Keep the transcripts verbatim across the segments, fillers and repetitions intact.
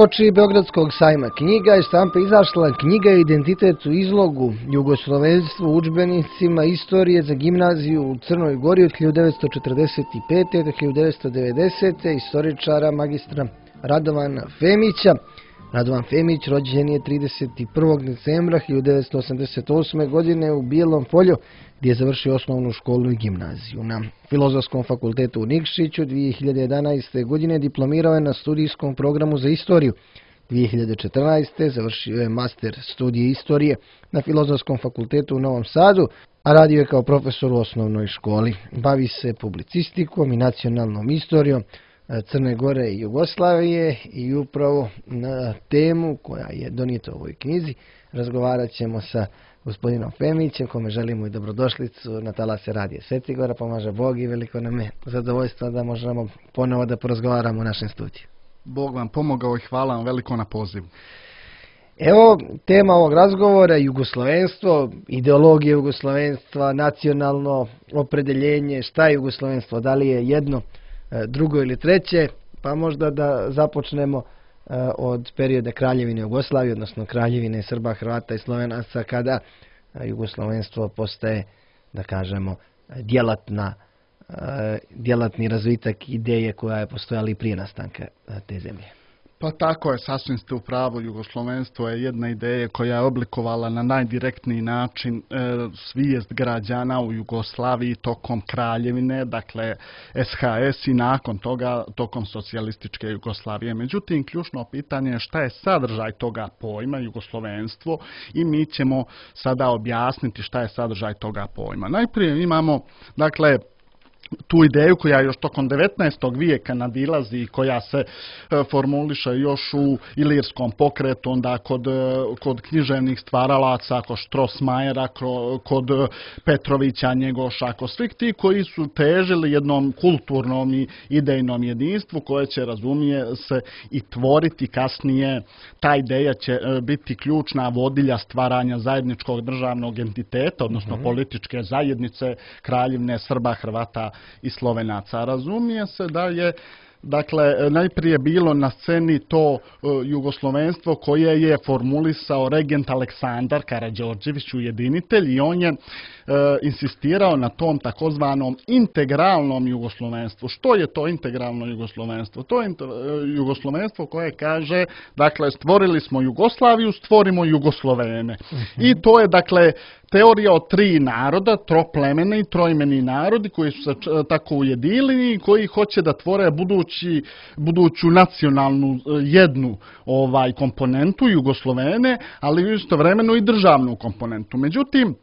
Uoči Beogradskog sajma knjiga iz štampe izašla knjiga Identitet u izlogu, jugoslovenstvo u udžbenicima istorije za gimnaziju u Crnoj Gori od hiljadu devetsto četrdeset pete. do hiljadu devetsto devedesete. istoričara magistra Radovana Femića. Radovan Femić rođen je trideset prvog decembra hiljadu devetsto osamdeset osme. godine u Bijelom Polju, gdje je završio osnovnu školu i gimnaziju. Na Filozofskom fakultetu u Nikšiću dvije hiljade jedanaeste. godine diplomirao je na studijskom programu za istoriju. dvije hiljade četrnaeste. završio je master studije istorije na Filozofskom fakultetu u Novom Sadu, a radio je kao profesor u osnovnoj školi. Bavi se publicistikom i nacionalnom istorijom Crne Gore i Jugoslavije i upravo na temu koja je donijeta u ovoj knjizi razgovarat ćemo sa gospodinom Femićem, kome želimo i dobrodošlicu na talase radije Svetigora. Pomaže Bog i veliko nam je zadovoljstvo da možemo ponovo da porazgovaramo u našem studiju. Bog vam pomogao i hvala vam veliko na pozivu. Evo, tema ovog razgovora je jugoslovenstvo, ideologija jugoslovenstva, nacionalno opredeljenje, šta je jugoslovenstvo, da li je jedno, drugo ili treće, pa možda da započnemo od perioda Kraljevine Jugoslavije, odnosno Kraljevine Srba, Hrvata i Slovenaca, kada jugoslovenstvo postaje, da kažemo, djelatna, djelatni razvitak ideje koja je postojala i prije nastanka te zemlje. Pa tako je, sasvim ste u pravu. Jugoslovenstvo je jedna ideja koja je oblikovala na najdirektniji način e, svijest građana u Jugoslaviji tokom Kraljevine, dakle S H S i nakon toga tokom socijalističke Jugoslavije. Međutim, ključno pitanje je šta je sadržaj toga pojma jugoslovenstvo i mi ćemo sada objasniti šta je sadržaj toga pojma. Najprije imamo, dakle, tu ideju koja još tokom devetnaestog vijeka nadilazi i koja se e, formuliše još u ilirskom pokretu, onda kod, kod književnih stvaralaca, kod Štrosmajera, kod Petrovića, Njegoša, kod svih ti koji su težili jednom kulturnom i idejnom jedinstvu koje će, razumije se, i tvoriti kasnije. Ta ideja će biti ključna vodilja stvaranja zajedničkog državnog entiteta, odnosno mm-hmm. političke zajednice Kraljevine Srba, Hrvata i Slovenaca. Razumije se da je, dakle, najprije bilo na sceni to uh, jugoslovenstvo koje je formulisao regent Aleksandar Karađorđević, ujedinitelj, i on je uh, insistirao na tom takozvanom integralnom jugoslovenstvu. Što je to integralno jugoslovenstvo? To je uh, jugoslovenstvo koje kaže, dakle, stvorili smo Jugoslaviju, stvorimo Jugoslovene. Mm-hmm. I to je, dakle, teorija o tri naroda, troplemeni i trojmeni narodi koji su se tako ujedinili i koji hoće da tvore budući, buduću nacionalnu jednu ovaj komponentu Jugoslovene, ali istovremeno i državnu komponentu. Međutim,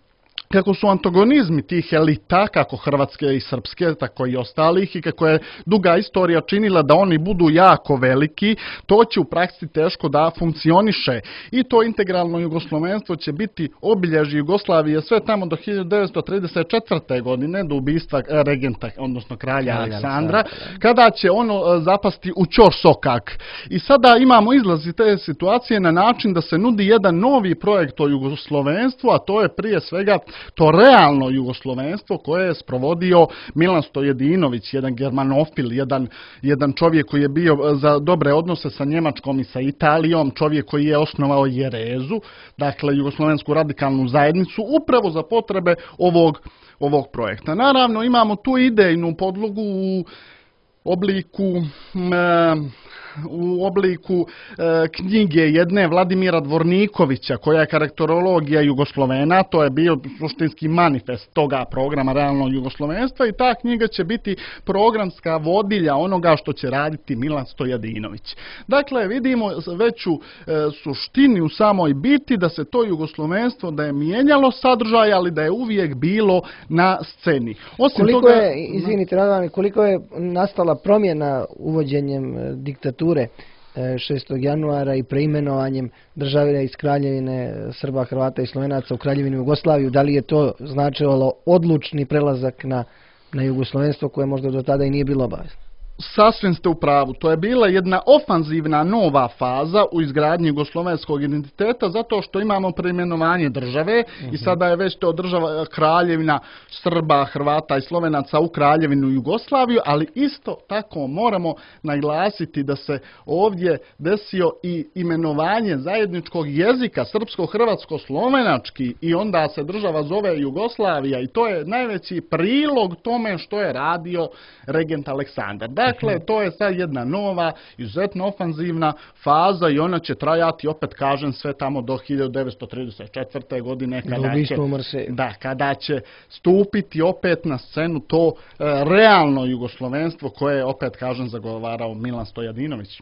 kako su antagonizmi tih elita, kako hrvatske i srpske, tako i ostalih, i kako je duga istorija činila da oni budu jako veliki, to će u praksi teško da funkcioniše. I to integralno jugoslovenstvo će biti obilježje Jugoslavije sve tamo do hiljadu devetsto trideset četvrte. godine, do ubistva regenta, odnosno kralja Aleksandra, kada će ono zapasti u ćorsokak. I sada imamo izlaz iz te situacije na način da se nudi jedan novi projekt o jugoslovenstvu, a to je prije svega to realno jugoslovenstvo koje je sprovodio Milan Stojedinović, jedan germanofil, jedan, jedan čovjek koji je bio za dobre odnose sa Njemačkom i sa Italijom, čovjek koji je osnovao Jerezu, dakle Jugoslovensku radikalnu zajednicu, upravo za potrebe ovog, ovog projekta. Naravno, imamo tu idejnu podlogu u obliku e, u obliku e, knjige jedne Vladimira Dvornikovića koja je karakterologija Jugoslovena. To je bio suštinski manifest toga programa realnog jugoslovenstva i ta knjiga će biti programska vodilja onoga što će raditi Milan Stojadinović. Dakle, vidimo veću e, suštini u samoj biti da se to jugoslovenstvo da je mijenjalo sadržaj, ali da je uvijek bilo na sceni. Osim koliko toga, je, izvinite, Radovan, koliko je nastala promjena uvođenjem diktature šestog januara i preimenovanjem države iz Kraljevine Srba, Hrvata i Slovenaca u Kraljevinu Jugoslaviju, da li je to značilo odlučni prelazak na, na jugoslovenstvo koje možda do tada i nije bilo obavezno? Sasvim ste u pravu. To je bila jedna ofanzivna nova faza u izgradnji jugoslovenskog identiteta zato što imamo preimenovanje države uh-huh. i sada je već to država kraljevina Srba, Hrvata i Slovenaca u kraljevinu Jugoslaviju, ali isto tako moramo naglasiti da se ovdje desio i imenovanje zajedničkog jezika srpsko-hrvatsko-slovenački i onda se država zove Jugoslavija i to je najveći prilog tome što je radio regent Aleksandar. Dakle, to je sad jedna nova, izuzetno ofanzivna faza i ona će trajati, opet kažem, sve tamo do hiljadu devetsto trideset četvrte. godine kada će, da, kada će stupiti opet na scenu to e, realno jugoslovenstvo koje je, opet kažem, zagovarao Milan Stojadinović.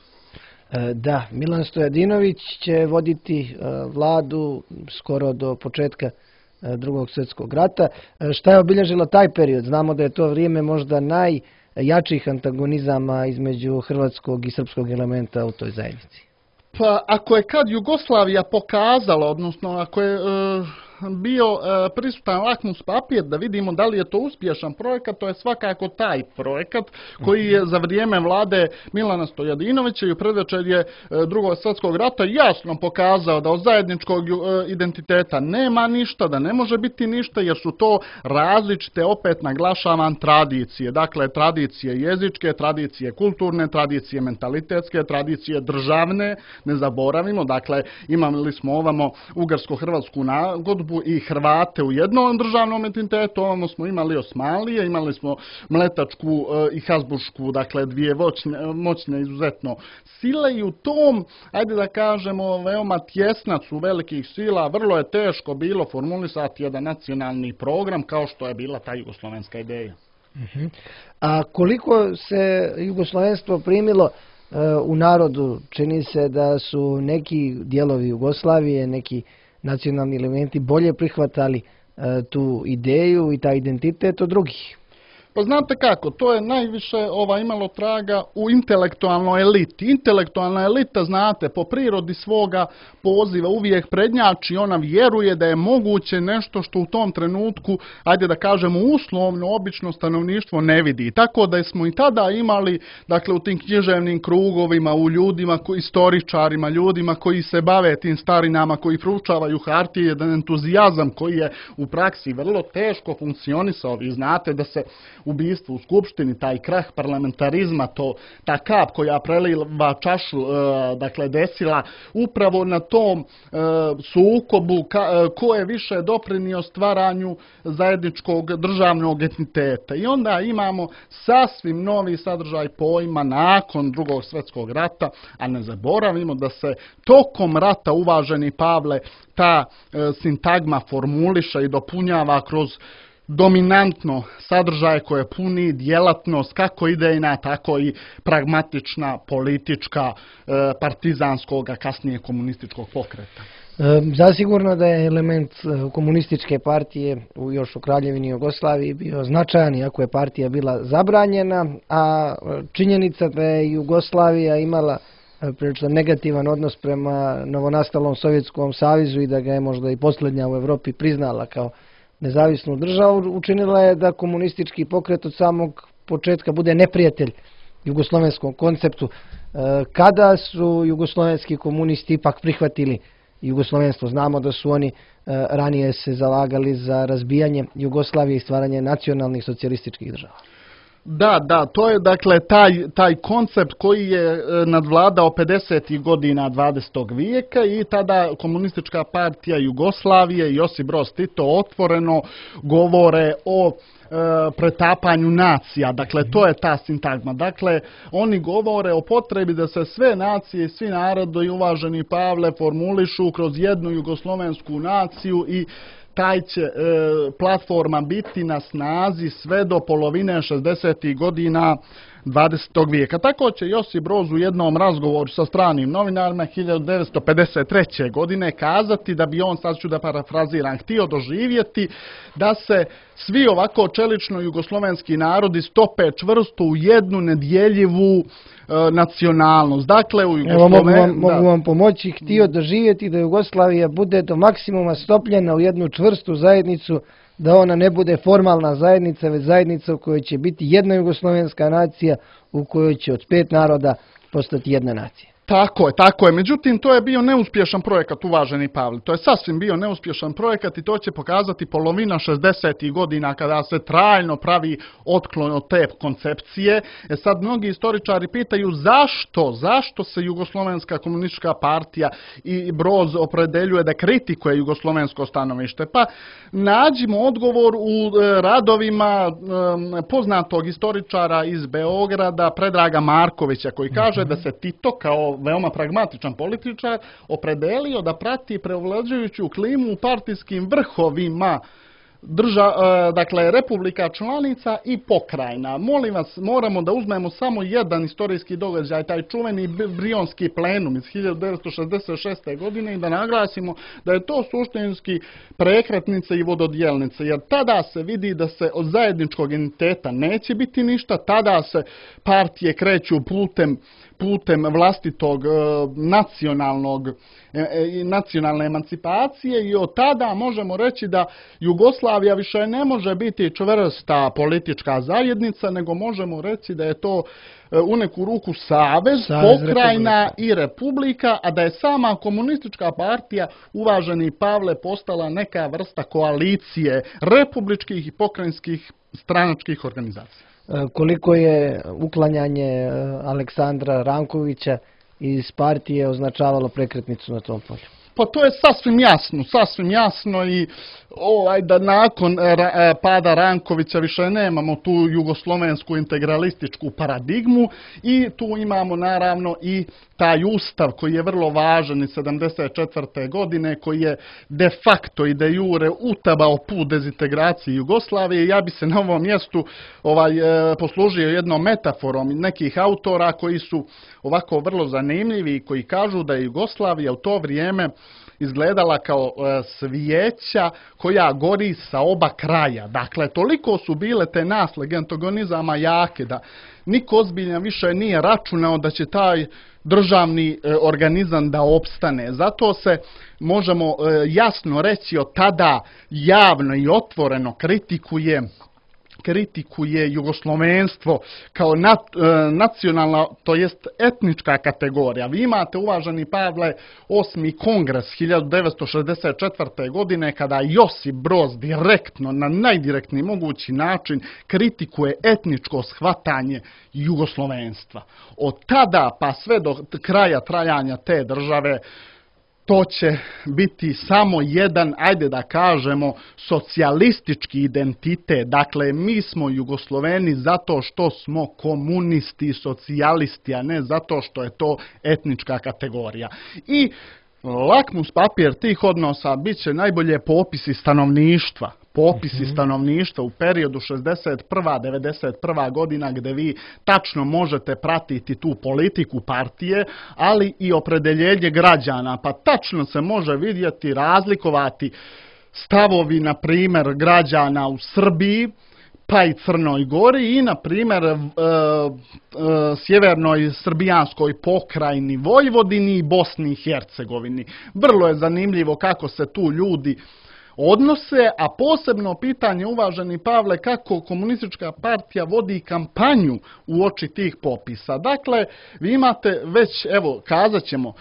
Da, Milan Stojadinović će voditi vladu skoro do početka Drugog svjetskog rata. Šta je obilježilo taj period? Znamo da je to vrijeme možda najjačih antagonizama između hrvatskog i srpskog elementa u toj zajednici. Pa ako je kad Jugoslavija pokazala, odnosno ako je e, bio e, prisutan lakmus papir da vidimo da li je to uspješan projekat, to je svakako taj projekat koji je za vrijeme vlade Milana Stojadinovića i u predvečerje e, Drugog svjetskog rata jasno pokazao da od zajedničkog e, identiteta nema ništa, da ne može biti ništa jer su to različite, opet naglašavam, tradicije. Dakle, tradicije jezičke, tradicije kulturne, tradicije mentalitetske, tradicije državne, ne zaboravimo. Dakle, imali smo ovamo ugarsko-hrvatsku nagodbu i Hrvate u jednom državnom entitetu, ovamo smo imali Osmanlije, imali smo Mletačku i Habsburšku, dakle dvije moćne, moćne izuzetno sile i u tom, ajde da kažemo, veoma tjesnacu velikih sila, vrlo je teško bilo formulisati jedan nacionalni program kao što je bila ta jugoslovenska ideja. Uh-huh. A koliko se jugoslovenstvo primilo uh, u narodu? Čini se da su neki dijelovi Jugoslavije, neki nacionalni elementi bolje prihvatali e, tu ideju i taj identitet od drugih. Pa znate kako, to je najviše ova imalo traga u intelektualnoj eliti. Intelektualna elita, znate, po prirodi svoga poziva uvijek prednjači, ona vjeruje da je moguće nešto što u tom trenutku, ajde da kažemo uslovno, obično stanovništvo ne vidi. Tako da smo i tada imali, dakle, u tim književnim krugovima, u ljudima, istoričarima, ljudima koji se bave tim starinama, koji proučavaju hartije, jedan entuzijazam koji je u praksi vrlo teško funkcionisao. Vi znate da se ubijstvo u Skupštini, taj krah parlamentarizma, to, ta kap koja preliva čašu, e, dakle, desila upravo na tom e, sukobu ka, e, ko je više doprinio stvaranju zajedničkog državnog entiteta. I onda imamo sasvim novi sadržaj pojma nakon Drugog svjetskog rata, a ne zaboravimo da se tokom rata, uvaženi Pavle, ta e, sintagma formuliša i dopunjava kroz dominantno sadržaje koje puni djelatnost kako idejna, tako i pragmatična, politička, partizanskog, a kasnije komunističkog pokreta. Zasigurno da je element komunističke partije u još u Kraljevini Jugoslaviji bio značajan, iako je partija bila zabranjena, a činjenica da je Jugoslavija imala prilično negativan odnos prema novonastalom Sovjetskom savezu i da ga je možda i posljednja u Europi priznala kao nezavisnu državu, učinila je da komunistički pokret od samog početka bude neprijatelj jugoslovenskom konceptu. Kada su jugoslovenski komunisti ipak prihvatili jugoslovenstvo? Znamo da su oni ranije se zalagali za razbijanje Jugoslavije i stvaranje nacionalnih socijalističkih država. Da, da, to je dakle taj, taj koncept koji je nadvladao pedesetih godina dvadesetog vijeka i tada komunistička partija Jugoslavije i Josip Broz Tito otvoreno govore o e, pretapanju nacija. Dakle, to je ta sintagma. Dakle, oni govore o potrebi da se sve nacije i svi narodi, uvaženi Pavle, formulišu kroz jednu jugoslovensku naciju i taj će e, platforma biti na snazi sve do polovine šezdesetih godina dvadesetog vijeka. Tako će Josip Broz u jednom razgovoru sa stranim novinarima hiljadu devetsto pedeset treće. godine kazati da bi on, sad ću da parafraziram, htio doživjeti da se svi ovako čelično jugoslovenski narodi stope čvrsto u jednu nedjeljivu e, nacionalnost. Dakle, u Jugosloven... Evo, mogu, vam, mogu vam pomoći, htio doživjeti da Jugoslavija bude do maksimuma stopljena u jednu čvrstu zajednicu da ona ne bude formalna zajednica, već zajednica u kojoj će biti jedna jugoslovenska nacija, u kojoj će od pet naroda postati jedna nacija. Tako je, tako je. Međutim, to je bio neuspješan projekat, uvaženi Pavle. To je sasvim bio neuspješan projekat i to će pokazati polovina šezdesetih godina kada se trajno pravi otklon od te koncepcije. E sad mnogi istoričari pitaju zašto, zašto se Jugoslovenska komunistička partija i Broz opredeljuje da kritikuje jugoslovensko stanovište. Pa nađimo odgovor u radovima poznatog istoričara iz Beograda, Predraga Markovića, koji kaže da se Tito kao veoma pragmatičan političar opredelio da prati preovlađujuću klimu u partijskim vrhovima drža, dakle, republika članica i pokrajina. Molim vas, moramo da uzmemo samo jedan istorijski događaj, taj čuveni Brionski plenum iz hiljadu devetsto šezdeset šeste. godine i da naglasimo da je to suštinski prekretnica i vododjelnica, jer tada se vidi da se od zajedničkog identiteta neće biti ništa, tada se partije kreću putem putem vlastitog nacionalnog, nacionalne emancipacije i od tada možemo reći da Jugoslavija više ne može biti čvrsta politička zajednica, nego možemo reći da je to u neku ruku savez, Savez pokrajina republika. i republika, a da je sama komunistička partija, uvaženi Pavle, postala neka vrsta koalicije republičkih i pokrajinskih stranačkih organizacija. Koliko je uklanjanje Aleksandra Rankovića iz partije označavalo prekretnicu na tom polju? Pa to je sasvim jasno, sasvim jasno i ovaj, da nakon ra, pada Rankovića više nemamo tu jugoslovensku integralističku paradigmu i tu imamo naravno i taj ustav koji je vrlo važan iz sedamdeset četvrte. godine, koji je de facto i de jure utabao put dezintegraciji Jugoslavije. Ja bi se na ovom mjestu ovaj, poslužio jednom metaforom nekih autora koji su ovako vrlo zanimljivi i koji kažu da je Jugoslavija u to vrijeme izgledala kao svijeća koja gori sa oba kraja. Dakle, toliko su bile te naslage antagonizama jake da niko ozbiljan više nije računao da će taj državni organizam da opstane. Zato se možemo jasno reći od tada javno i otvoreno kritikuje kritikuje jugoslovenstvo kao nat, e, nacionalna, to jest etnička kategorija. Vi imate, uvaženi Pavle, osmi kongres hiljadu devetsto šezdeset četvrte. godine kada Josip Broz direktno, na najdirektniji mogući način kritikuje etničko shvatanje jugoslovenstva. Od tada pa sve do kraja trajanja te države to će biti samo jedan, ajde da kažemo, socijalistički identitet. Dakle, mi smo Jugosloveni zato što smo komunisti i socijalisti, a ne zato što je to etnička kategorija. I lakmus papir tih odnosa bit će najbolje popisi stanovništva. Popisi stanovništva u periodu šezdeset prva do devedeset prva. godina gdje vi tačno možete pratiti tu politiku partije, ali i opredeljenje građana, pa tačno se može vidjeti, razlikovati stavovi, na primjer, građana u Srbiji, pa i Crnoj Gori i, na primjer, e, e, sjevernoj srbijanskoj pokrajini Vojvodini i Bosni i Hercegovini. Vrlo je zanimljivo kako se tu ljudi odnose, a posebno pitanje, uvaženi Pavle, kako komunistička partija vodi kampanju u oči tih popisa. Dakle, vi imate već, evo, kazat ćemo,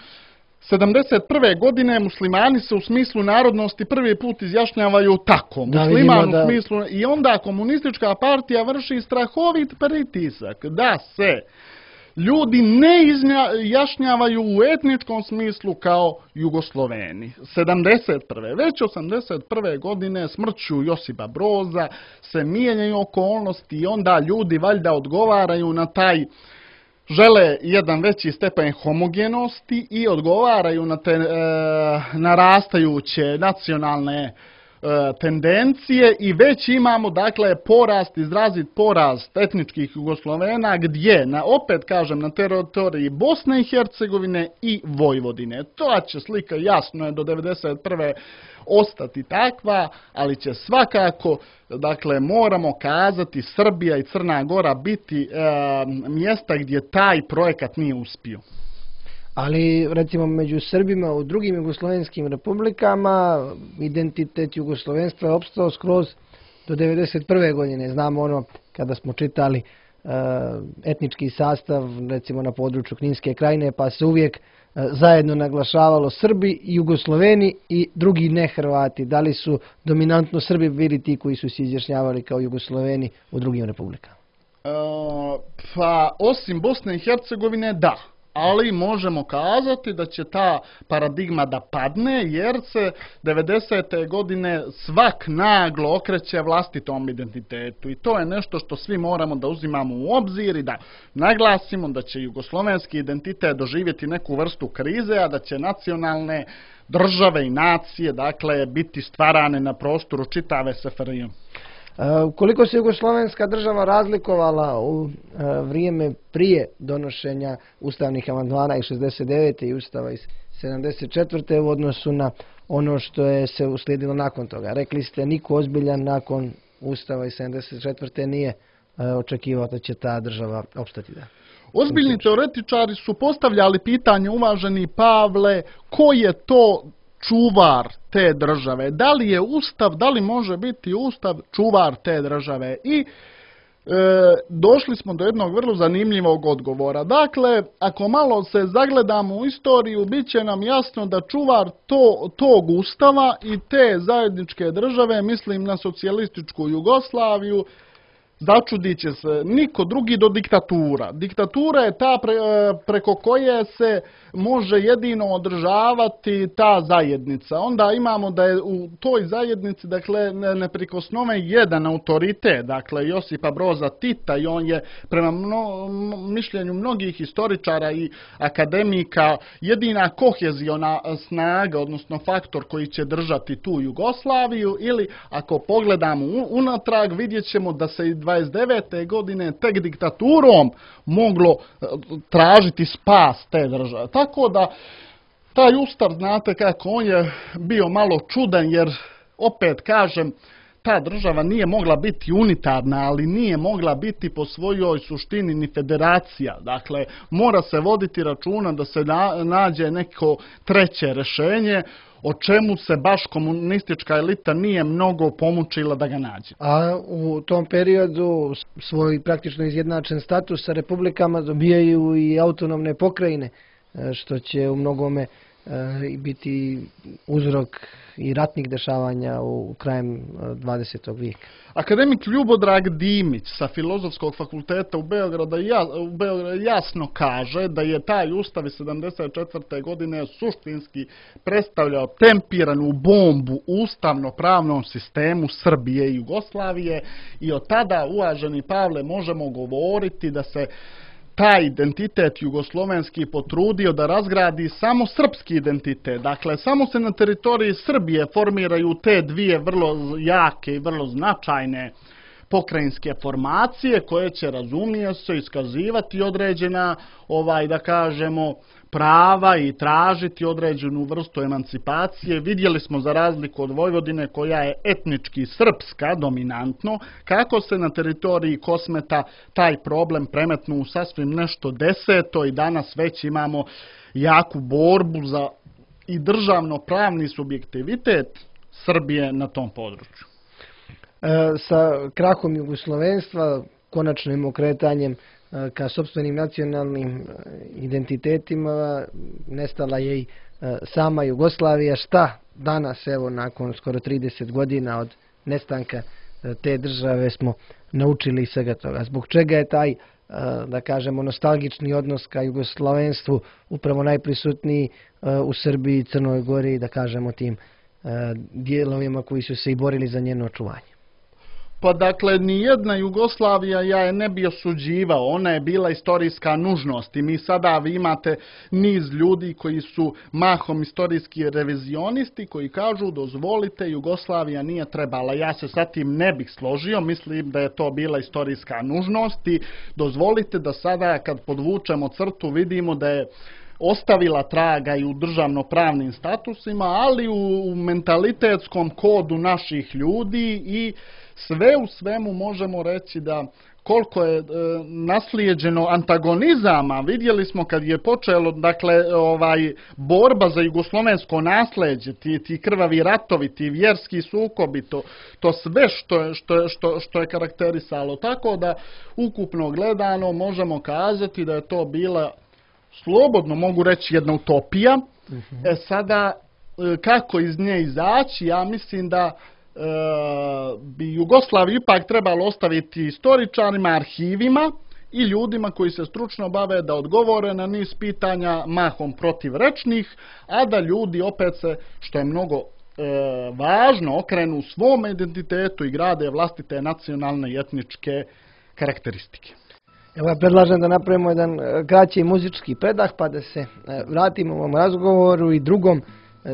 sedamdeset prve. godine muslimani se u smislu narodnosti prvi put izjašnjavaju tako. Da, Musliman da... u smislu, i onda komunistička partija vrši strahovit pritisak da se ljudi ne izjašnjavaju u etničkom smislu kao Jugosloveni. sedamdeset prve. Već osamdeset prve. godine smrću Josipa Broza se mijenjaju okolnosti i onda ljudi valjda odgovaraju na taj, žele jedan veći stepen homogenosti i odgovaraju na te e, narastajuće nacionalne tendencije i već imamo, dakle, porast, izrazit porast etničkih Jugoslovena gdje, na, opet kažem, na teritoriji Bosne i Hercegovine i Vojvodine. To će slika, jasno je, do devedeset prve. ostati takva, ali će svakako, dakle, moramo kazati, Srbija i Crna Gora biti e, mjesta gdje taj projekat nije uspio. Ali recimo među Srbima u drugim jugoslovenskim republikama identitet jugoslovenstva je opstao skroz do devedeset prve godine. Znamo ono kada smo čitali uh, etnički sastav recimo na području Kninske krajine, pa se uvijek uh, zajedno naglašavalo Srbi, Jugosloveni i drugi ne Hrvati. Da li su dominantno Srbi bili ti koji su se izjašnjavali kao Jugosloveni u drugim republikama? Uh, pa osim Bosne i Hercegovine da. Ali možemo kazati da će ta paradigma da padne jer se devedesete godine svak naglo okreće vlastitom identitetu i to je nešto što svi moramo da uzimamo u obzir i da naglasimo da će jugoslovenski identitet doživjeti neku vrstu krize, a da će nacionalne države i nacije dakle biti stvarane na prostoru čitave S F R J. Koliko se jugoslovenska država razlikovala u vrijeme prije donošenja ustavnih amandmana iz šezdeset devete i ustava iz sedamdeset četvrte u odnosu na ono što je se uslijedilo nakon toga? Rekli ste niko ozbiljan nakon ustava iz sedamdeset četvrte nije očekivao da će ta država opstati. Da. Ozbiljni teoretičari su postavljali pitanje, uvaženi Pavle, ko je to čuvar te države? Da li je ustav, da li može biti ustav čuvar te države? I e, došli smo do jednog vrlo zanimljivog odgovora. Dakle, ako malo se zagledamo u istoriju, bit će nam jasno da čuvar to, tog ustava i te zajedničke države, mislim na socijalističku Jugoslaviju, začudit će se niko drugi do diktatura. Diktatura je ta pre, preko koje se može jedino održavati ta zajednica. Onda imamo da je u toj zajednici dakle, neprikosnoven jedan autoritet, dakle Josipa Broza Tita i on je prema mno, mišljenju mnogih historičara i akademika jedina koheziona snaga, odnosno faktor koji će držati tu Jugoslaviju ili ako pogledamo unatrag vidjet ćemo da se i dvadeset devete godine tek diktaturom moglo tražiti spas te države. Tako da taj ustav, znate kako, on je bio malo čudan jer, opet kažem, ta država nije mogla biti unitarna, ali nije mogla biti po svojoj suštini ni federacija. Dakle, mora se voditi računa da se na, nađe neko treće rješenje, o čemu se baš komunistička elita nije mnogo pomučila da ga nađe. A u tom periodu svoj praktično izjednačen status sa republikama dobijaju i autonomne pokrajine, što će u mnogome biti uzrok i ratnih dešavanja u krajem dvadesetog vijeka. Akademik Ljubodrag Dimić sa Filozofskog fakulteta u Beogradu, u Beogradu jasno kaže da je taj ustav iz sedamdeset četvrte godine suštinski predstavljao tempiranu bombu u ustavno-pravnom sistemu Srbije i Jugoslavije i od tada, uvaženi Pavle, možemo govoriti da se taj identitet jugoslovenski potrudio da razgradi samo srpski identitet. Dakle, samo se na teritoriji Srbije formiraju te dvije vrlo jake i vrlo značajne pokrajinske formacije koje će, razumije se, iskazivati određena, ovaj da kažemo, prava i tražiti određenu vrstu emancipacije. Vidjeli smo za razliku od Vojvodine koja je etnički srpska dominantno, kako se na teritoriji Kosmeta taj problem premetnu u sasvim nešto deseto i danas već imamo jaku borbu za i državno-pravni subjektivitet Srbije na tom području. E, sa krahom jugoslovenstva, konačnim okretanjem ka sopstvenim nacionalnim identitetima, nestala je i sama Jugoslavija. Šta danas, evo, nakon skoro trideset godina od nestanka te države smo naučili iz svega toga? Zbog čega je taj, da kažemo, nostalgični odnos ka jugoslovenstvu upravo najprisutniji u Srbiji i Crnoj Gori, da kažemo, tim dijelovima koji su se i borili za njeno očuvanje? Pa dakle, nijedna Jugoslavija ja je ne bi osuđivao, ona je bila istorijska nužnost i mi sada vi imate niz ljudi koji su mahom istorijski revizionisti koji kažu dozvolite, Jugoslavija nije trebala. Ja se sa tim ne bih složio, mislim da je to bila istorijska nužnost i dozvolite da sada kad podvučemo crtu vidimo da je ostavila traga i u državnopravnim statusima, ali u mentalitetskom kodu naših ljudi i sve u svemu možemo reći da koliko je e, naslijeđeno antagonizama. Vidjeli smo kad je počelo, dakle, ovaj borba za jugoslovensko nasleđe, ti, ti krvavi ratovi, ti vjerski sukobi, to, to sve što je, što, je, što, što je karakterisalo. Tako da, ukupno gledano, možemo kazati da je to bila, slobodno mogu reći, jedna utopija. Uh-huh. E sada, kako iz nje izaći, ja mislim da e, bi Jugoslaviju ipak trebalo ostaviti istoričarima, arhivima i ljudima koji se stručno bave da odgovore na niz pitanja mahom protivrečnih, a da ljudi opet se, što je mnogo e, važno, okrenu u svom identitetu i grade vlastite nacionalne i etničke karakteristike. Evo ja predlažem da napravimo jedan kraći muzički predah pa da se vratimo ovom razgovoru i drugom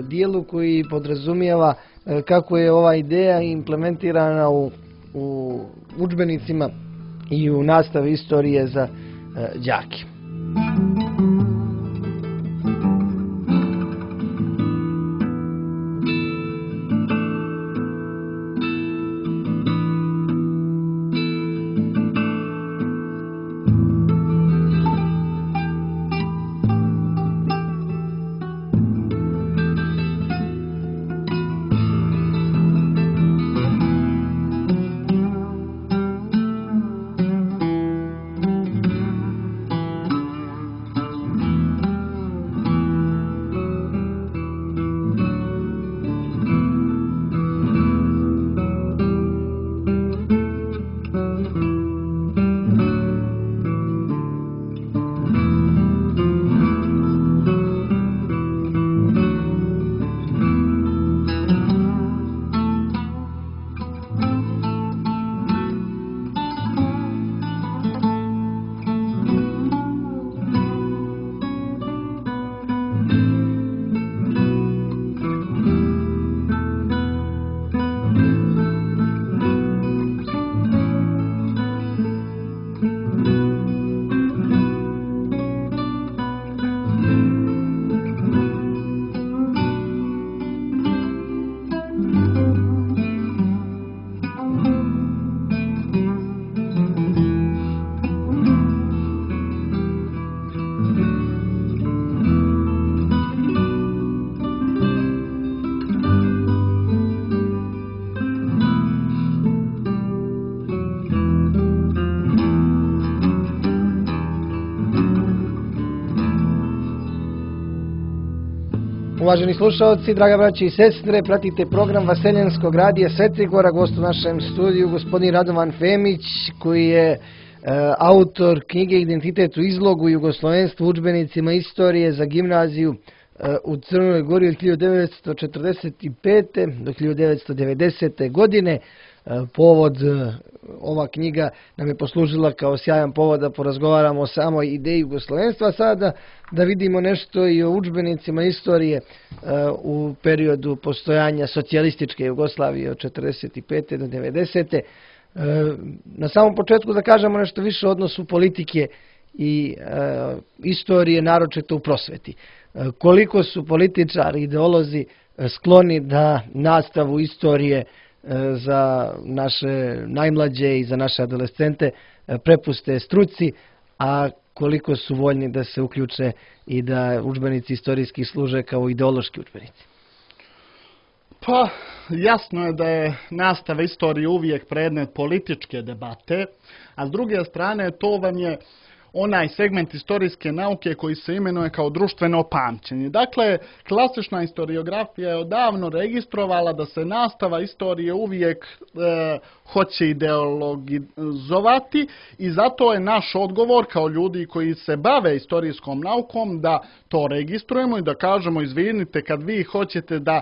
dijelu koji podrazumijeva kako je ova ideja implementirana u, u udžbenicima i u nastavi istorije za đake. Uvaženi slušalci, draga braći i sestre, pratite program Vaseljenskog radija Svetligora, gost u našem studiju gospodin Radovan Femić, koji je e, autor knjige Identitet u izlogu Jugoslovenstvo u udžbenicima istorije za gimnaziju e, u Crnoj Gori od hiljadu devetsto četrdeset pete do hiljadu devetsto devedesete. godine. Povod, ova knjiga nam je poslužila kao sjajan povod da porazgovaramo o samoj ideji jugoslovenstva. Sada da vidimo nešto i o udžbenicima istorije u periodu postojanja socijalističke Jugoslavije od četrdeset pete do devedesete. Na samom početku da kažemo nešto više o odnosu politike i istorije, naročito u prosveti. Koliko su političari, ideolozi skloni da nastavu istorije za naše najmlađe i za naše adolescente prepuste struci, a koliko su voljni da se uključe i da udžbenici istorijski služe kao ideološki udžbenici? Pa, jasno je da je nastava istorije uvijek predmet političke debate, a s druge strane to vam je onaj segment istorijske nauke koji se imenuje kao društveno pamćenje. Dakle, klasična historiografija je odavno registrovala da se nastava istorije uvijek e, hoće ideologizovati i zato je naš odgovor kao ljudi koji se bave istorijskom naukom da to registrujemo i da kažemo izvinite kad vi hoćete da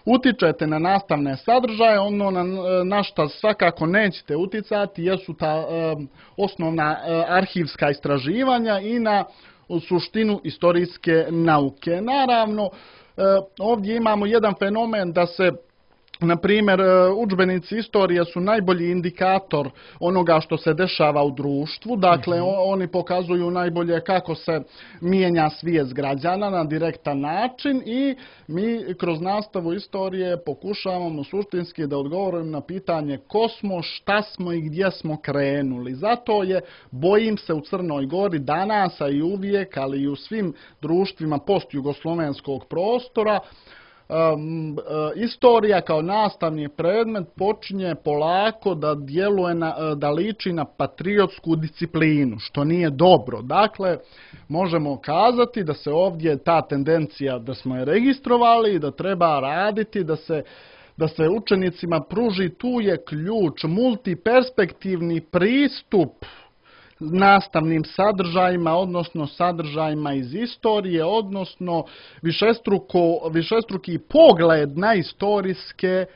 utičete na nastavne sadržaje, ono na, na što svakako nećete uticati jesu ta e, osnovna e, arhivska istraživanja i na suštinu istorijske nauke. Naravno, e, ovdje imamo jedan fenomen da se Na primjer, udžbenici istorije su najbolji indikator onoga što se dešava u društvu. Dakle, mm-hmm. oni pokazuju najbolje kako se mijenja svijest građana na direktan način i mi kroz nastavu istorije pokušavamo suštinski da odgovorimo na pitanje ko smo, šta smo i gdje smo krenuli. Zato je, bojim se, u Crnoj Gori danas, a i uvijek, ali i u svim društvima postjugoslovenskog prostora, Um, uh, istorija kao nastavni predmet počinje polako da djeluje na, uh, da liči na patriotsku disciplinu, što nije dobro. Dakle, možemo kazati da se ovdje ta tendencija, da smo je registrovali i da treba raditi, da se da se učenicima pruži, tu je ključ, multiperspektivni pristup nastavnim sadržajima, odnosno sadržajima iz istorije, odnosno višestruko, višestruki pogled na istorijske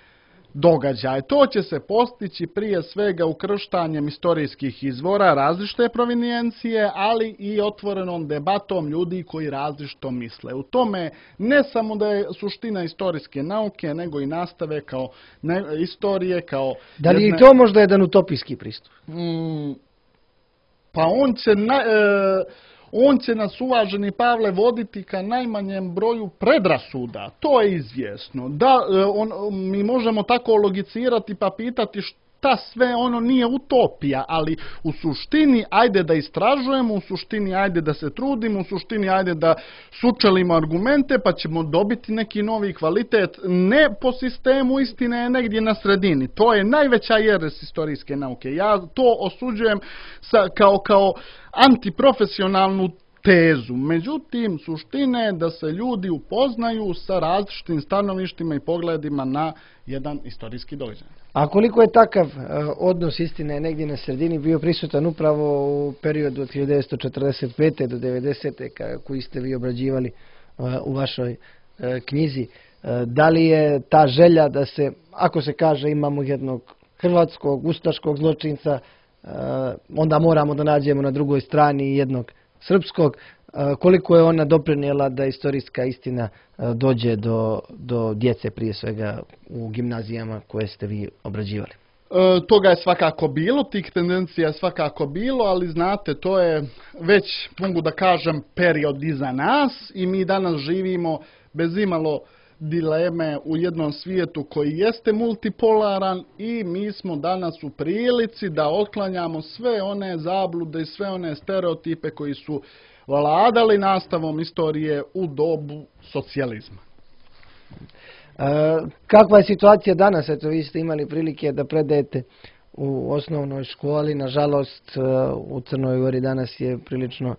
događaje. To će se postići prije svega ukrštanjem istorijskih izvora različite provenijencije, ali i otvorenom debatom ljudi koji različito misle. U tome ne samo da je suština istorijske nauke, nego i nastave kao ne, istorije kao... Da li jedne... je to možda jedan utopijski pristup? Mm, Pa on će, na, e, on će nas, uvaženi Pavle, voditi ka najmanjem broju predrasuda. To je izvjesno. Da, e, on, mi možemo tako logicirati pa pitati šta sve ono nije utopija, ali u suštini ajde da istražujemo, u suštini ajde da se trudimo, u suštini ajde da sučelimo argumente pa ćemo dobiti neki novi kvalitet. Ne po sistemu istine, negdje na sredini. To je najveća jeres istorijske nauke. Ja to osuđujem sa, kao, kao antiprofesionalnu tezu. Međutim, suština je da se ljudi upoznaju sa različitim stanovištima i pogledima na jedan istorijski događaj. A koliko je takav uh, odnos istine negdje na sredini bio prisutan upravo u periodu od hiljadu devetsto četrdeset pete do devedesete koji ste vi obrađivali uh, u vašoj uh, knjizi? Uh, da li je ta želja da se, ako se kaže imamo jednog hrvatskog ustaškog zločinca, uh, onda moramo da nađemo na drugoj strani jednog srpskog, koliko je ona doprinijela da istorijska istina dođe do, do djece, prije svega u gimnazijama koje ste vi obrađivali? E, toga je svakako bilo, tih tendencija je svakako bilo, ali znate, to je već, mogu da kažem, period iza nas i mi danas živimo bez imalo dileme u jednom svijetu koji jeste multipolaran i mi smo danas u prilici da otklanjamo sve one zablude i sve one stereotipe koji su vladali nastavom istorije u dobu socijalizma. E, kakva je situacija danas? Eto, vi ste imali prilike da predajete u osnovnoj školi. Nažalost, u Crnoj Gori danas je prilično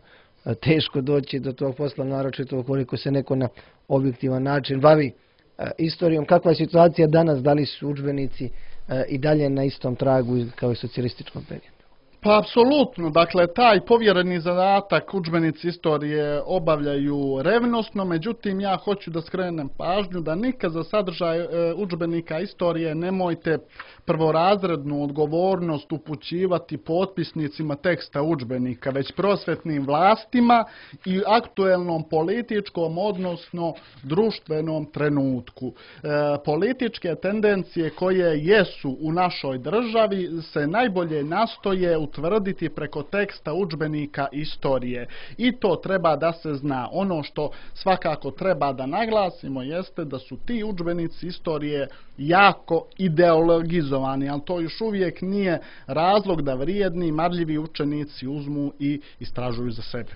teško doći do tog posla, naročito ukoliko se neko na objektivan način bavi e, istorijom. Kakva je situacija danas? Da li su udžbenici e, i dalje na istom tragu kao i socijalističkom periodu? Pa apsolutno, dakle taj povjereni zadatak udžbenici istorije obavljaju revnosno, međutim ja hoću da skrenem pažnju da nikad za sadržaj e, udžbenika istorije nemojte prvorazrednu odgovornost upućivati potpisnicima teksta udžbenika, već prosvetnim vlastima i aktuelnom političkom, odnosno društvenom trenutku. E, političke tendencije koje jesu u našoj državi se najbolje nastoje utvrditi preko teksta udžbenika istorije. I to treba da se zna. Ono što svakako treba da naglasimo jeste da su ti udžbenici istorije jako ideologizovani, ali to još uvijek nije razlog da vrijedni, marljivi učenici uzmu i istražuju za sebe.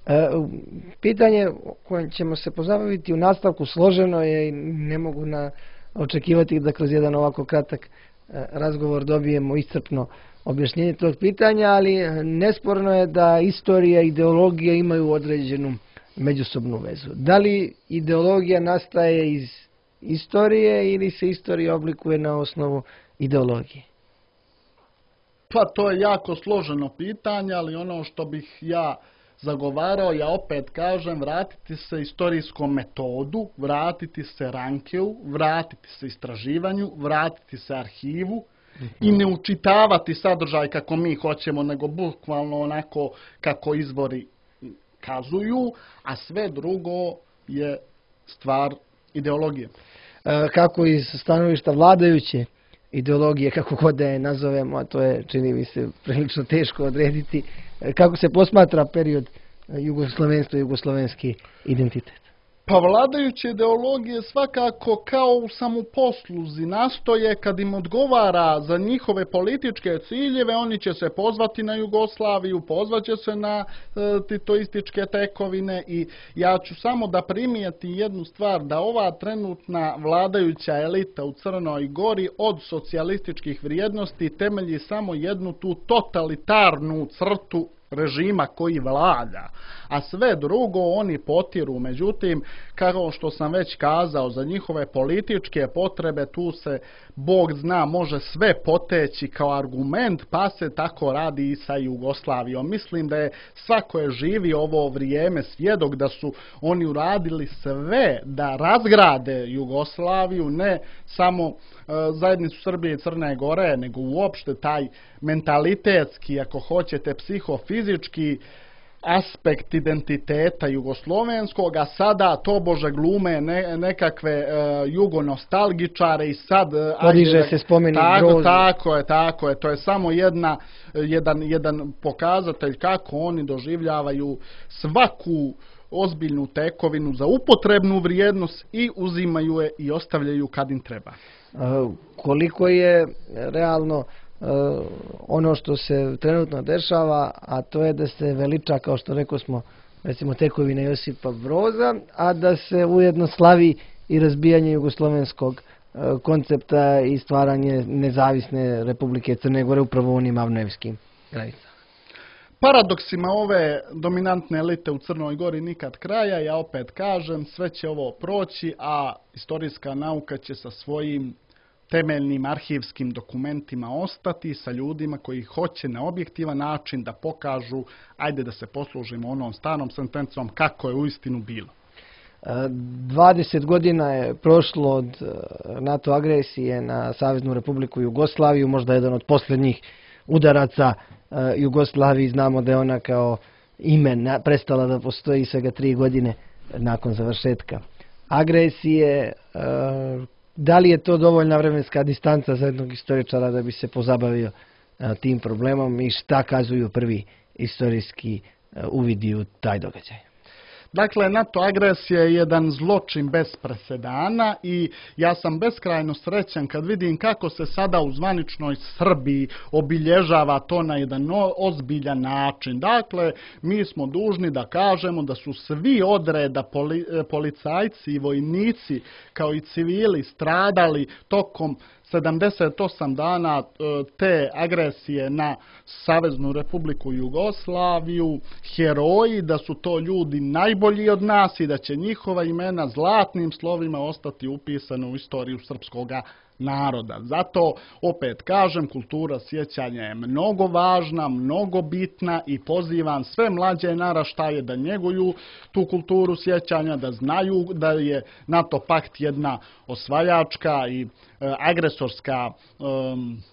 E, pitanje kojim ćemo se pozabaviti u nastavku složeno je i ne mogu na očekivati da kroz jedan ovako kratak e, razgovor dobijemo iscrpno objašnjenje tog pitanja, ali nesporno je da istorija i ideologija imaju određenu međusobnu vezu. Da li ideologija nastaje iz istorije ili se istorija oblikuje na osnovu ideologije? Pa to je jako složeno pitanje, ali ono što bih ja zagovarao, ja opet kažem, vratiti se istorijskom metodu, vratiti se Rankeu, vratiti se istraživanju, vratiti se arhivu, i ne učitavati sadržaj kako mi hoćemo, nego bukvalno onako kako izvori kazuju, a sve drugo je stvar ideologije. kako iz stanovišta vladajuće ideologije, kako god da je nazovemo, a to je, čini mi se, prilično teško odrediti, kako se posmatra period jugoslovenstva i jugoslovenski identitet. Pa vladajuće ideologije svakako kao u samoposluzi nastoje kad im odgovara za njihove političke ciljeve, oni će se pozvati na Jugoslaviju, pozvaće se na e, titoističke tekovine i ja ću samo da primijeti jednu stvar, da ova trenutna vladajuća elita u Crnoj Gori od socijalističkih vrijednosti temelji samo jednu tu totalitarnu crtu režima koji vlada, a sve drugo oni potiru. Međutim, kao što sam već kazao, za njihove političke potrebe tu se, Bog zna, može sve poteći kao argument, pa se tako radi i sa Jugoslavijom. Mislim da je svako je živi ovo vrijeme svjedok da su oni uradili sve da razgrade Jugoslaviju, ne samo zajednicu Srbije i Crne Gore, nego uopšte taj mentalitetski, ako hoćete, psihofizički aspekt identiteta jugoslovenskog, a sada tobože glume ne, nekakve uh, jugonostalgičare i sad... Podiže se spomenik grozu. Tako je, tako je. To je samo jedna, jedan, jedan pokazatelj kako oni doživljavaju svaku ozbiljnu tekovinu za upotrebnu vrijednost i uzimaju je i ostavljaju kad im treba. Uh, koliko je realno uh, ono što se trenutno dešava, a to je da se veliča, kao što rekao smo, recimo tekovine Josipa Broza, a da se ujedno slavi i razbijanje jugoslovenskog uh, koncepta i stvaranje nezavisne Republike Crne Gore upravo u onim avnojevskim granicama. Paradoksima ove dominantne elite u Crnoj Gori nikad kraja, ja opet kažem, sve će ovo proći, a istorijska nauka će sa svojim temeljnim arhivskim dokumentima ostati, sa ljudima koji hoće na objektivan način da pokažu, ajde da se poslužimo onom starom sentencom, kako je uistinu bilo. dvadeset godina je prošlo od NATO agresije na Saveznu Republiku Jugoslaviju, možda jedan od posljednjih udaraca Jugoslaviji. Znamo da je ona kao ime prestala da postoji svega tri godine nakon završetka agresije. Da li je to dovoljna vremenska distanca za jednog istoričara da bi se pozabavio tim problemom i šta kazuju prvi istorijski uvidi u taj događaj? Dakle, NATO agresija je jedan zločin bez presedana i ja sam beskrajno srećan kad vidim kako se sada u zvaničnoj Srbiji obilježava to na jedan ozbiljan način. Dakle, mi smo dužni da kažemo da su svi odreda poli, policajci i vojnici kao i civili stradali tokom sedamdeset osam dana te agresije na Saveznu Republiku Jugoslaviju, heroji, da su to ljudi najbolji od nas i da će njihova imena zlatnim slovima ostati upisane u istoriju srpskog naroda. Zato, opet kažem, kultura sjećanja je mnogo važna, mnogo bitna i pozivam sve mlađe naraštaje da njeguju tu kulturu sjećanja, da znaju da je NATO pakt jedna osvajačka i e, agresorska um,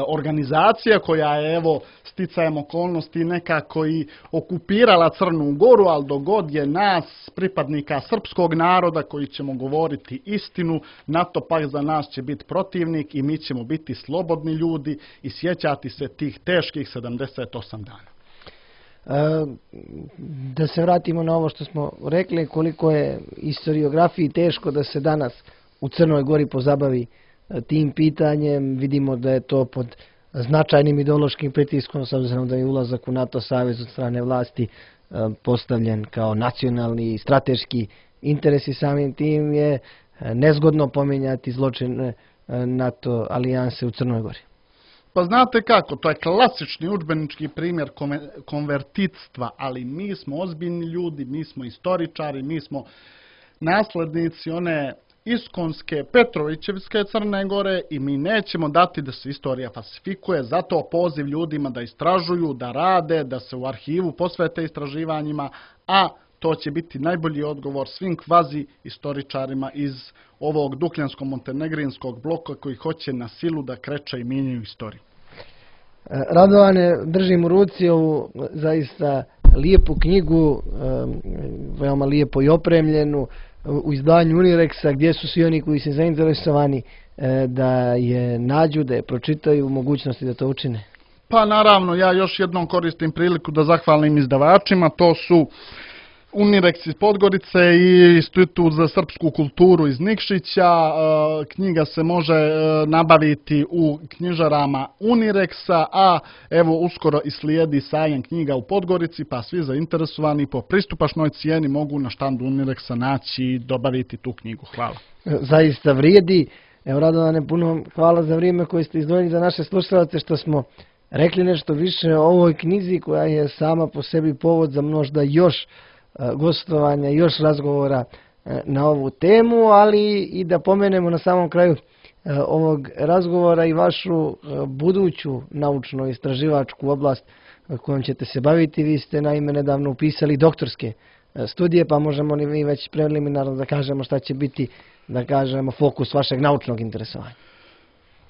organizacija koja je, evo, sticajem okolnosti nekako i okupirala Crnu Goru, ali dogod je nas, pripadnika srpskog naroda, koji ćemo govoriti istinu, NATO pakt za nas će biti protivnik i mi ćemo biti slobodni ljudi i sjećati se tih teških sedamdeset osam dana. E, da se vratimo na ovo što smo rekli, koliko je historiografiji teško da se danas u Crnoj Gori pozabavi tim pitanjem. Vidimo da je to pod značajnim ideološkim pritiskom, s obzirom da je ulazak u NATO savez od strane vlasti postavljen kao nacionalni i strateški interes i samim tim je nezgodno pominjati zločine NATO alijanse u Crnoj Gori. Pa znate kako, to je klasični udžbenički primjer konvertitstva, ali mi smo ozbiljni ljudi, mi smo istoričari, mi smo naslednici one iskonske Petrovićevske Crne Gore i mi nećemo dati da se istorija falsifikuje. Zato poziv ljudima da istražuju, da rade, da se u arhivu posvete istraživanjima, a to će biti najbolji odgovor svim kvazi istoričarima iz ovog dukljansko-montenegrinskog bloka koji hoće na silu da kreće i mijenjaju istoriju. Radovane, držim u ruci ovu zaista lijepu knjigu, veoma lijepo i opremljenu. u izdanju Unireksa, gdje su svi oni koji su zainteresovani da je nađu, da je pročitaju, mogućnosti da to učine? Pa naravno, ja još jednom koristim priliku da zahvalim izdavačima, to su Unireks iz Podgorice i Institut za srpsku kulturu iz Nikšića. Knjiga se može nabaviti u knjižarama Unireksa, a evo uskoro i slijedi sajam knjiga u Podgorici, pa svi zainteresovani po pristupačnoj cijeni mogu na štandu Unireksa naći i dobaviti tu knjigu. Hvala. Zaista vrijedi. Evo, Radovane, puno hvala za vrijeme koje ste izdvojili za naše slušalce, što smo rekli nešto više o ovoj knjizi koja je sama po sebi povod za možda još gostovanja, još razgovora na ovu temu, ali i da pomenemo na samom kraju ovog razgovora i vašu buduću naučno-istraživačku oblast kojom ćete se baviti. Vi ste naime nedavno upisali doktorske studije, pa možemo li mi već preliminarno da kažemo šta će biti, da kažemo, fokus vašeg naučnog interesovanja?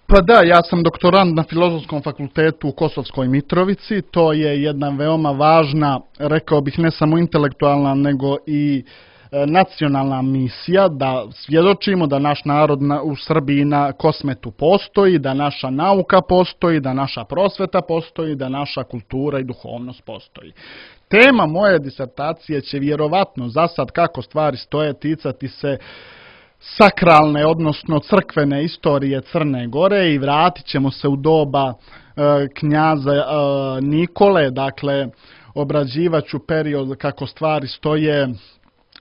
Pa da, ja sam doktorant na Filozofskom fakultetu u Kosovskoj Mitrovici. To je jedna veoma važna, rekao bih, ne samo intelektualna, nego i nacionalna misija, da svjedočimo da naš narod u Srbiji na Kosmetu postoji, da naša nauka postoji, da naša prosveta postoji, da naša kultura i duhovnost postoji. Tema moje disertacije će vjerovatno za sad, kako stvari stoje, ticati se sakralne, odnosno crkvene istorije Crne Gore i vratit ćemo se u doba e, knjaza e, Nikole, dakle obrađivaću period kako stvari stoje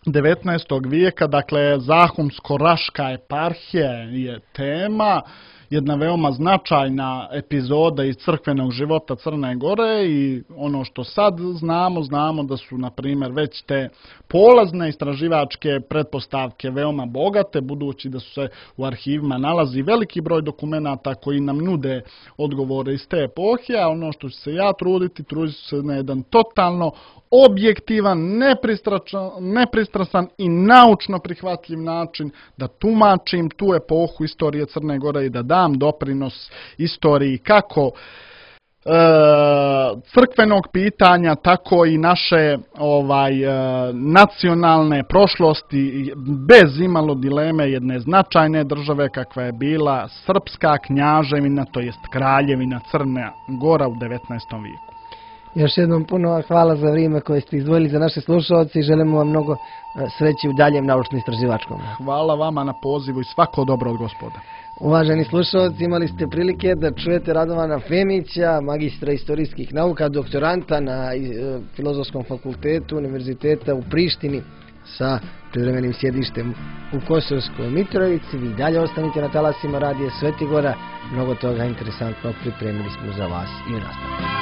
devetnaestog vijeka, dakle Zahumsko-Raška eparhija je tema, jedna veoma značajna epizoda iz crkvenog života Crne Gore i ono što sad znamo, znamo da su, na primjer, već te polazne istraživačke pretpostavke veoma bogate, budući da su se u arhivima nalazi veliki broj dokumenata koji nam nude odgovore iz te epohe, a ono što ću se ja truditi, trudit ću se na jedan totalno objektivan, nepristrasan, nepristrasan i naučno prihvatljiv način da tumačim tu epohu istorije Crne Gore i da dam doprinos istoriji kako e, crkvenog pitanja, tako i naše ovaj e, nacionalne prošlosti, bez imalo dileme jedne značajne države kakva je bila Srpska knjaževina, to jest Kraljevina Crna Gora u devetnaestom vijeku. Još jednom puno hvala za vrijeme koje ste izdvojili za naše slušalce i želimo vam mnogo sreće u daljem naučno-istraživačkom. Hvala vama na pozivu i svako dobro od Gospoda. Uvaženi slušalci, imali ste prilike da čujete Radovana Femića, magistra istorijskih nauka, doktoranta na Filozofskom fakultetu Univerziteta u Prištini sa privremenim sjedištem u Kosovskoj Mitrovici. Vi dalje ostanite na talasima Radija Svetigora. Mnogo toga interesantno pripremili smo za vas i u nastavku.